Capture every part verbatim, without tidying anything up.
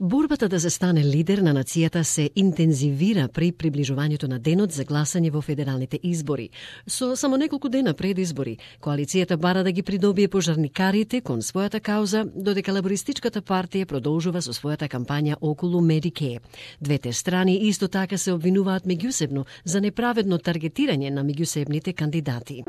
Борбата да се стане лидер на нацијата се интензивира при приближувањето на денот за гласање во федералните избори. Со само неколку дена пред избори, коалицијата бара да ги придобие пожарникарите кон својата кауза, додека лабористичката партија продолжува со својата кампања околу Medicare. Двете страни исто така се обвинуваат меѓусебно за неправедно таргетирање на меѓусебните кандидати.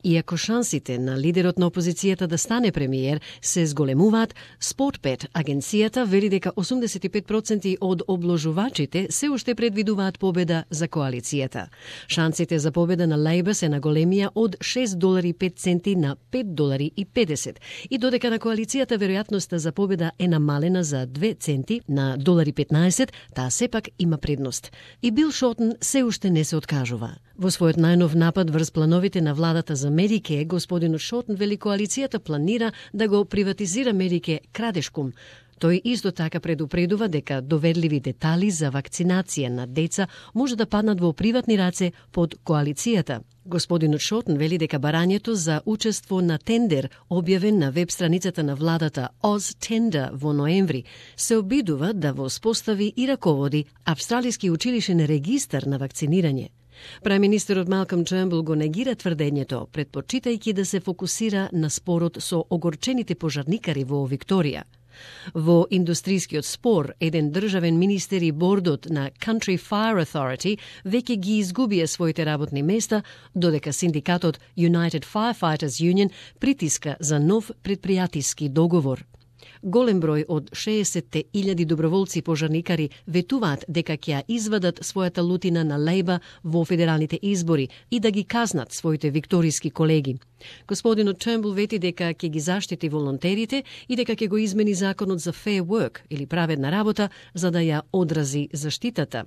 Иако шансите на лидерот на опозицијата да стане премиер се зголемуваат, Спортбет, агенцијата, вели дека осумдесет и пет проценти од обложувачите се уште предвидуваат победа за коалицијата. Шансите за победа на Лейбър се наголемија од шест долари и пет центи на пет долари и педесет, и додека на коалицијата веројатноста за победа е намалена за две центи на долари петнаесет, таа сепак има предност. И Бил Шортен се уште не се откажува. Во својот најнов напад врз плановите на владата за Медике, господинот Шортен вели коалицијата планира да го приватизира Медике крадешком. Тој исто така предупредува дека доверливи детали за вакцинација на деца може да паднат во приватни раце под коалицијата. Господинот Шортен вели дека барањето за учество на тендер, објавен на веб страницата на владата OzTender во ноември, се обидува да воспостави и раководи австралиски училишен регистар на вакцинирање. Премиерот Малком Тернбул го негира тврдењето, предпочитајќи да се фокусира на спорот со огорчените пожарникари во Викторија. Во индустрискиот спор, еден државен министер и бордот на Country Fire Authority веќе ги изгубија своите работни места, додека синдикатот United Firefighters Union притиска за нов предпријатиски договор. Голем број од шеесет илјади доброволци пожарникари ветуваат дека ќе извадат својата лутина на Лейба во федералните избори и да ги казнат своите викториски колеги. Господинот Тернбул вети дека ќе ги заштити волонтерите и дека ќе го измени законот за fair work или праведна работа за да ја одрази заштитата.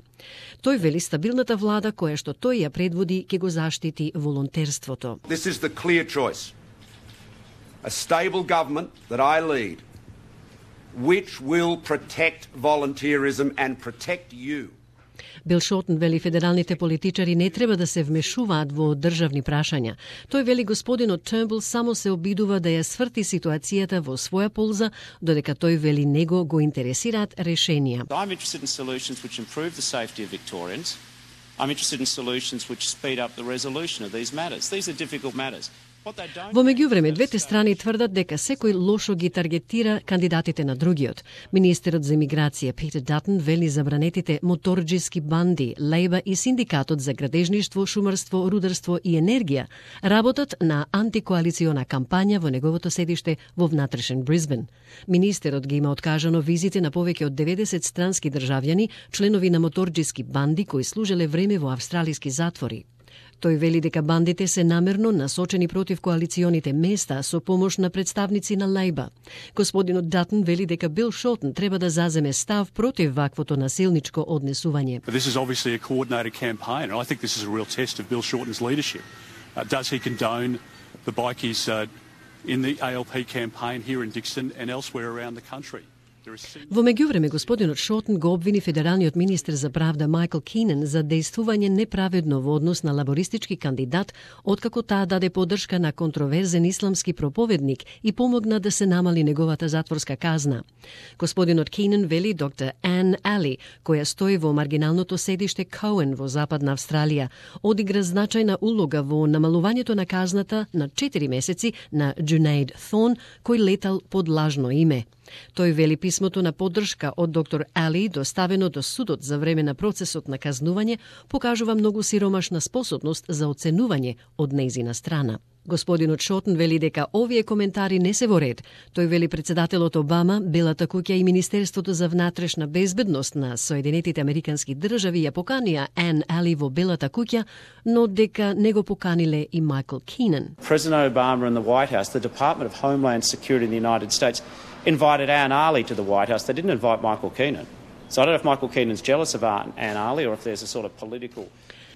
Тој вели стабилната влада која што тој ја предводи ќе го заштити волонтерството. This is the clear choice. A stable government that I lead, which will protect volunteerism and protect you. Бил Шортен вели федералните политичари не треба да се вмешуваат во државни прашања. Тој вели господинот Тернбул само се обидува да ја сврти ситуацијата во своја полза, додека тој вели него го интересираат решенија. I'm interested in solutions which improve the safety of Victorians. I'm interested in solutions which speed up the resolution of these matters. These are difficult matters. Во меѓувреме, двете страни тврдат дека секој лошо ги таргетира кандидатите на другиот. Министерот за имиграција Питер Датон вели забранетите моторџиски банди, Лейба и синдикатот за градежништво, шумарство, рударство и енергија работат на антикоалициона кампања во неговото седиште во внатрешен Брисбен. Министерот ги има откажано визите на повеќе од деветдесет странски државјани, членови на моторџиски банди кои служеле време во австралиски затвори. Тој вели дека бандите се намерно насочени против коалиционите места со помош на представници на Лейба. Господинот Датон вели дека Бил Шортен треба да заземе став против ваквото насилничко однесување. This is obviously a coordinated campaign, and I think this is a real test of Bill Shorten's leadership. Uh, does he condone the bikies uh, in the A L P campaign here in Dixon and elsewhere around the country? Во меѓувреме, господинот Шортен го обвини федералниот министер за правда Майкл Кинен за дејствување неправедно во однос на лабористички кандидат, откако таа даде поддршка на контроверзен исламски проповедник и помогна да се намали неговата затворска казна. Господинот Кинен вели доктор Ан Али, која стои во маргиналното седиште Коен во Западна Австралија, одигра значајна улога во намалувањето на казната на четири месеци на Джунейд Thorn, кој летал под лажно име. Тој вели писмото на поддршка од доктор Али, доставено до судот за време на процесот на казнување, покажува многу сиромашна способност за оценување од нејзина страна. Господинот Шортен вели дека овие коментари не се во ред. Тој вели председателот Обама, Белата куќа и Министерството за внатрешна безбедност на Соединетите Американски држави ја поканија Ан Али во Белата куќа, но дека не го поканиле и Майкл Кинен. President Obama and the White House, the Department of Homeland Security in the United States, invited Ann Ali to the White House. They didn't invite Michael Keenan. So I don't know if Michael Keenan's jealous of Ann Ali or if there's a sort of political...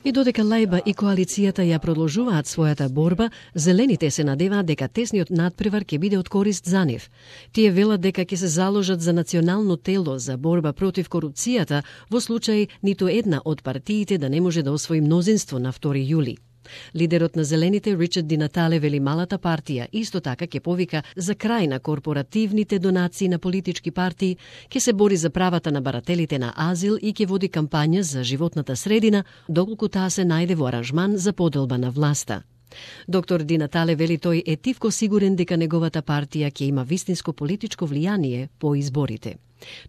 И додека Лейба и коалицијата ја продолжуваат својата борба, зелените се надеваат дека тесниот надпревар ќе биде од корист за нив. Тие велат дека ќе се заложат за национално тело за борба против корупцијата во случај ниту една од партиите да не може да освои мнозинство на втори јули. Лидерот на Зелените, Ричард Ди Натале, вели малата партија исто така ќе повика за крај на корпоративните донации на политички партии, ќе се бори за правата на барателите на азил и ќе води кампања за животната средина, доколку таа се најде во аранжман за поделба на власта. Доктор Ди Натале вели тој е тивко сигурен дека неговата партија ќе има вистинско политичко влијание по изборите.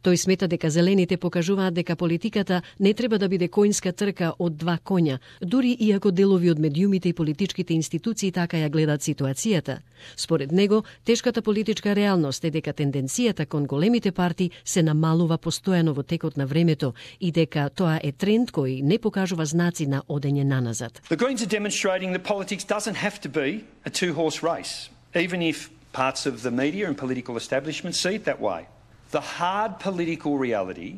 Тој смета дека зелените покажуваат дека политиката не треба да биде коњска трка од два коња, дури и ако делови од медиумите и политичките институции така ја гледат ситуацијата. Според него, тешката политичка реалност е дека тенденцијата кон големите партии се намалува постојано во текот на времето и дека тоа е тренд кој не покажува знаци на одење наназад. The Greens are demonstrating that politics doesn't have to be a two-horse race, even if parts of the media and political establishment see it that way. The hard political reality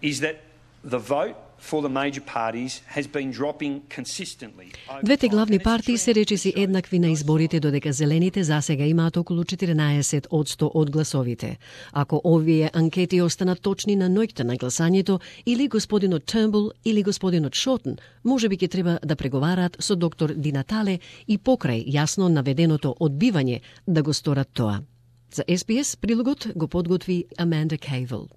is that the vote for the major parties has been dropping consistently. Двете главни партии се речиси еднакви на изборите, додека зелените засега имаат околу четиренаесет одсто од гласовите. Ако овие анкети останат точни на ноќта на гласањето, или господинот Тurnbull или господинот Шотен можеби ќе треба да преговараат со доктор Ди Натале и покрај јасно наведеното одбивање да го сторат тоа. За Ес Би Ес прилогот го подготви Аманда Кейвел.